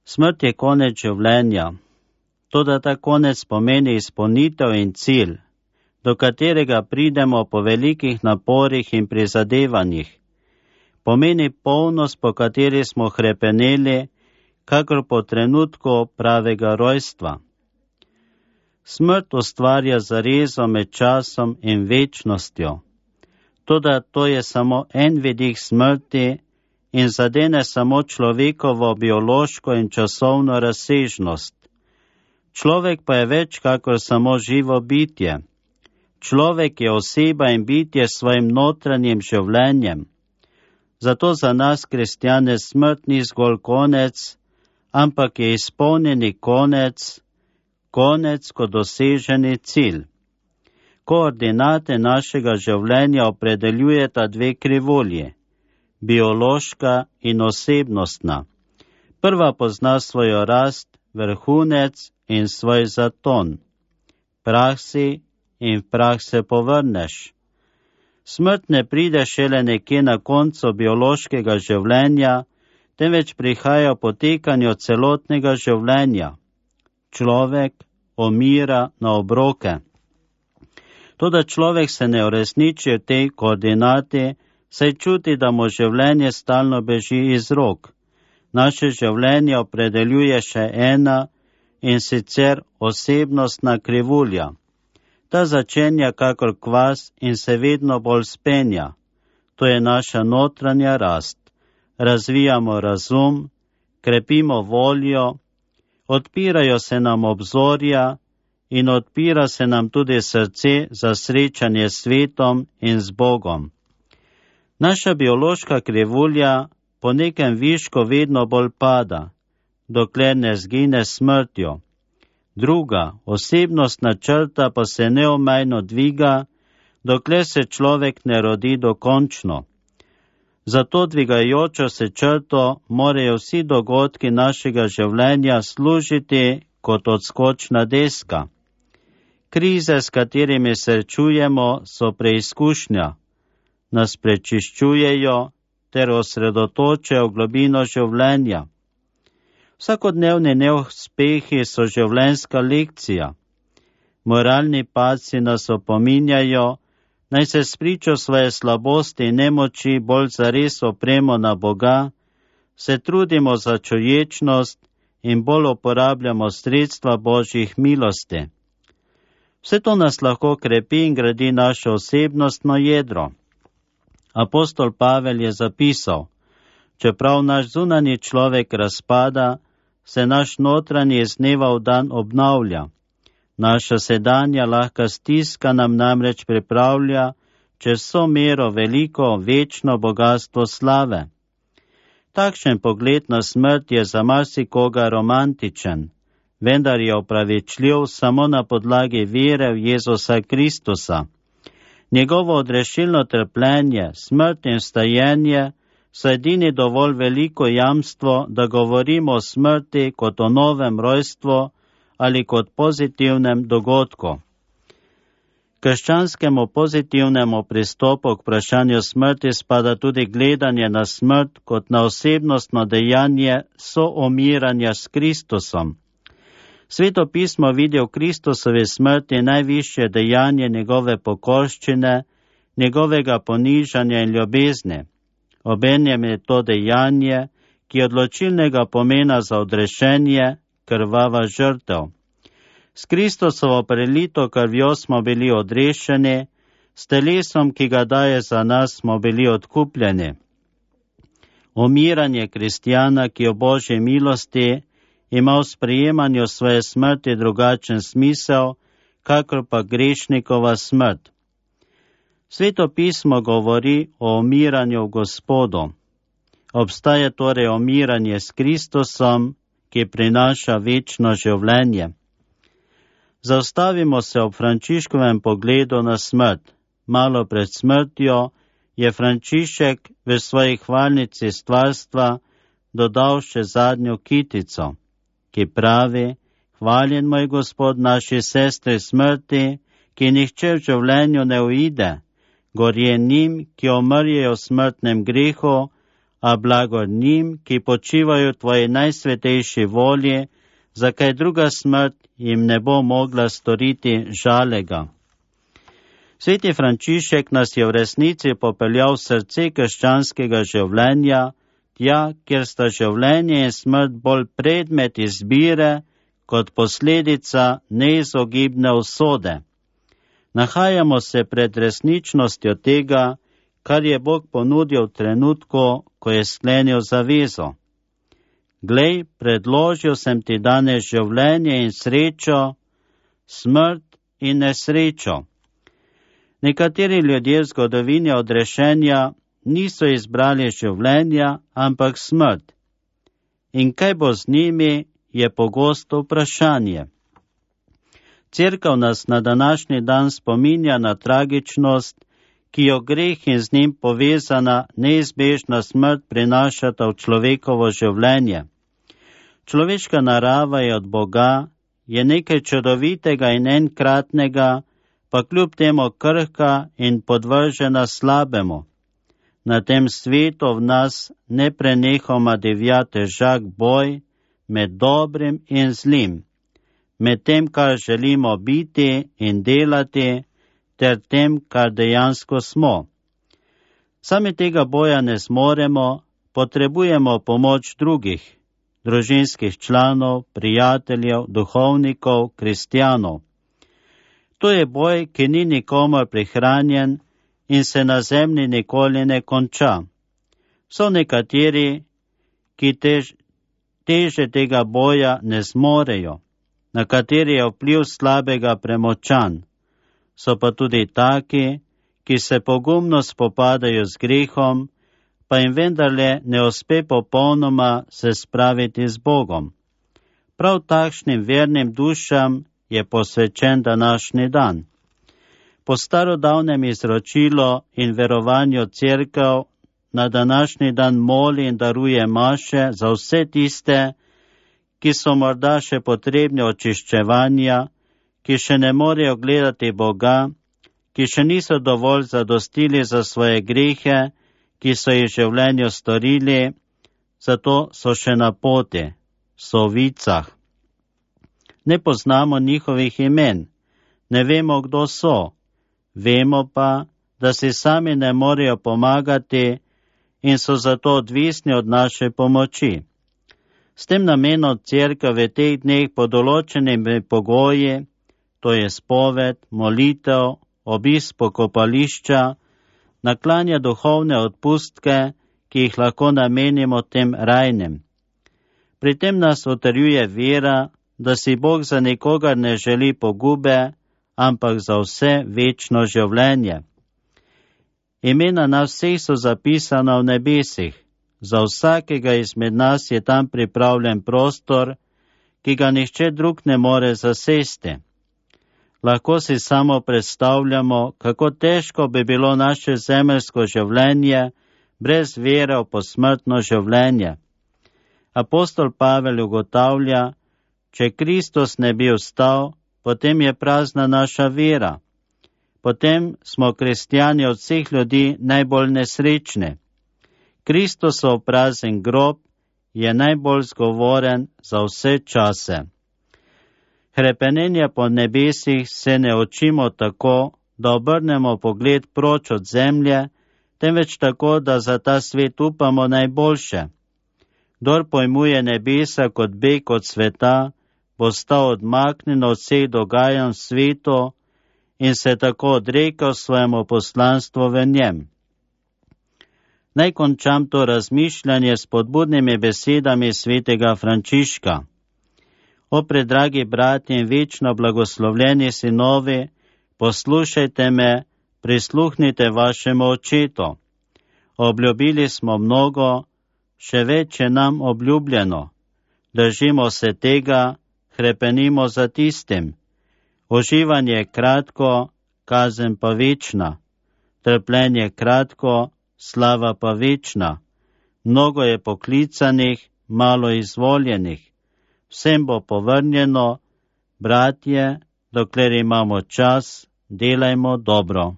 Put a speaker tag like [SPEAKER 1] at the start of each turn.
[SPEAKER 1] Smrt je konec življenja. Toda ta konec pomeni izpolnitev in cilj, do katerega pridemo po velikih naporih in prizadevanjih. Pomeni polnost, po kateri smo hrepeneli, kakor po trenutku pravega rojstva. Smrt ustvarja zarezo med časom in večnostjo. Toda to je samo en vidik smrti in zadene samo človekovo biološko in časovno razsežnost. Človek pa je več kakor samo živo bitje. Človek je oseba in bitje s svojim notranjim življenjem. Zato za nas, kristjane, smrt ni zgolj konec, ampak je izpolnjeni konec kot doseženi cilj. Koordinate našega življenja opredeljujeta dve krivulji, biološka in osebnostna. Prva pozna svojo rast, vrhunec in svoj zaton. Prah si in v prah se povrneš. Smrt ne pride šele nekje na koncu biološkega življenja, temveč prihaja v potekanju celotnega življenja. Človek umira na obroke. Toda človek se ne uresniči v tej koordinati, saj čuti, da mu življenje stalno beži iz rok. Naše življenje opredeljuje še ena, in sicer osebnostna krivulja. Ta začenja kakor kvas in se vedno bolj spenja. To je naša notranja rast. Razvijamo razum, krepimo voljo, odpirajo se nam obzorja in odpira se nam tudi srce za srečanje s svetom in z Bogom. Naša biološka krivulja po nekem višku vedno bolj pada, dokler ne zgine smrtjo. Druga, osebnostna črta pa se neomajno dviga, dokler se človek ne rodi dokončno. Za to dvigajočo se črto morajo vsi dogodki našega življenja služiti kot odskočna deska. Krize, s katerimi srečujemo, so preizkušnja, nas prečiščujejo ter osredotočajo v globino življenja. Vsakodnevni neuspehi so življenjska lekcija. Moralni padci nas opominjajo, naj se spričo svoje slabosti in nemoči bolj zares opremo na Boga, se trudimo za čuječnost in bolj uporabljamo sredstva Božjih milosti. Vse to nas lahko krepi in gradi naše osebnostno jedro. Apostol Pavel je zapisal, čeprav naš zunanji človek razpada, se naš notranji iz dneva v dan obnavlja. Naša sedanja lahka stiska nam namreč pripravlja čez vso mero veliko večno bogatstvo slave. Takšen pogled na smrt je za marsikoga romantičen, vendar je opravičljiv samo na podlagi vere v Jezusa Kristusa. Njegovo odrešilno trpljenje, smrt in vstajenje so edini dovolj veliko jamstvo, da govorimo o smrti kot o novem rojstvu ali kot pozitivnem dogodku. Krščanskemu pozitivnemu pristopu k vprašanju smrti spada tudi gledanje na smrt kot na osebnostno dejanje soumiranja s Kristusom. Sveto pismo vidi v Kristusovi smrti najvišje dejanje njegove pokorščine, njegovega ponižanja in ljubezni. Obenem je to dejanje, ki je odločilnega pomena za odrešenje, krvava žrtev. S Kristusovo prelito krvjo smo bili odrešeni, s telesom, ki ga daje za nas, smo bili odkupljeni. Umiranje kristjana, ki je v Božji milosti ima v sprejemanju svoje smrti drugačen smisel, kakor pa grešnikova smrt. Sveto pismo govori o umiranju v Gospodu. Obstaja torej umiranje s Kristusom, ki prinaša večno življenje. Zaustavimo se ob Frančiškovem pogledu na smrt. Malo pred smrtjo je Frančišek v svoji hvalnici stvarstva dodal še zadnjo kitico, ki pravi: hvaljen moj Gospod naši sestri smrti, ki nihče v življenju ne uide, gorje njim, ki umrjejo v smrtnem grehu a blagor njim, ki počivajo v tvoji najsvetejši volji, za kaj druga smrt jim ne bo mogla storiti žalega. Sveti Frančišek nas je v resnici popeljal v srce krščanskega življenja, tja, kjer sta življenje in smrt bolj predmet izbire kot posledica neizogibne usode. Nahajamo se pred resničnostjo tega, kar je Bog ponudil v trenutku, ko je sklenil zavezo. Glej, predložil sem ti danes življenje in srečo, smrt in nesrečo. Nekateri ljudje v zgodovini odrešenja niso izbrali življenja, ampak smrt. In kaj bo z njimi, je pogosto vprašanje. Cerkev nas na današnji dan spominja na tragičnost, ki jo greh in z njim povezana neizbežna smrt prinašata v človekovo življenje. Človeška narava je od Boga, je nekaj čudovitega in enkratnega, pa kljub temu krhka in podvržena slabemu. Na tem svetu v nas neprenehoma divja težak boj med dobrim in zlim, med tem, kar želimo biti in delati, ter tem, kar dejansko smo. Sami tega boja ne zmoremo, potrebujemo pomoč drugih, družinskih članov, prijateljev, duhovnikov, kristjanov. To je boj, ki ni nikomor prihranjen in se na zemlji nikoli ne konča. So nekateri, ki teže tega boja ne zmorejo, na kateri je vpliv slabega premočan. So pa tudi taki, ki se pogumno spopadajo z grehom, pa jim vendarle ne uspe popolnoma se spraviti z Bogom. Prav takšnim vernim dušam je posvečen današnji dan. Po starodavnem izročilu in verovanju cerkev na današnji dan moli in daruje maše za vse tiste, ki so morda še potrebni očiščevanja, ki še ne morejo gledati Boga, ki še niso dovolj zadostili za svoje grehe, ki so jih v življenju storili, zato so še na poti, so v vicah. Ne poznamo njihovih imen, ne vemo, kdo so, vemo pa, da si sami ne morejo pomagati in so zato odvisni od naše pomoči. S tem namenom cerkev v teh dneh pod določenimi pogoji, to je spoved, molitev, obisk pokopališča, naklanja duhovne odpustke, ki jih lahko namenimo tem rajnim. Pri tem nas utrjuje vera, da si Bog za nikogar ne želi pogube, ampak za vse večno življenje. Imena nas vseh so zapisana v nebesih, za vsakega izmed nas je tam pripravljen prostor, ki ga nihče drug ne more zasesti. Lahko si samo predstavljamo, kako težko bi bilo naše zemeljsko življenje brez vere v posmrtno življenje. Apostol Pavel ugotavlja, če Kristus ne bi vstal, potem je prazna naša vera. Potem smo kristjani od vseh ljudi najbolj nesrečni. Kristusov prazen grob je najbolj zgovoren za vse čase. Hrepenenja po nebesih se ne učimo tako, da obrnemo pogled proč od zemlje, temveč tako, da za ta svet upamo najboljše. Kdor pojmuje nebesa kot beg od sveta, bo stal odmaknjen od vseh dogajanj v svetu in se tako odrekel svojemu poslanstvu v njem. Naj končam to razmišljanje s spodbudnimi besedami svetega Frančiška. O predragi bratje in večno blagoslovljeni sinovi, poslušajte me, prisluhnite vašemu očetu. Obljubili smo mnogo, še več je nam obljubljeno. Držimo se tega, hrepenimo za tistim. Uživanje je kratko, kazen pa večna. Trpljenje kratko, slava pa večna. Mnogo je poklicanih, malo izvoljenih. Vsem bo povrnjeno, bratje, dokler imamo čas, delajmo dobro.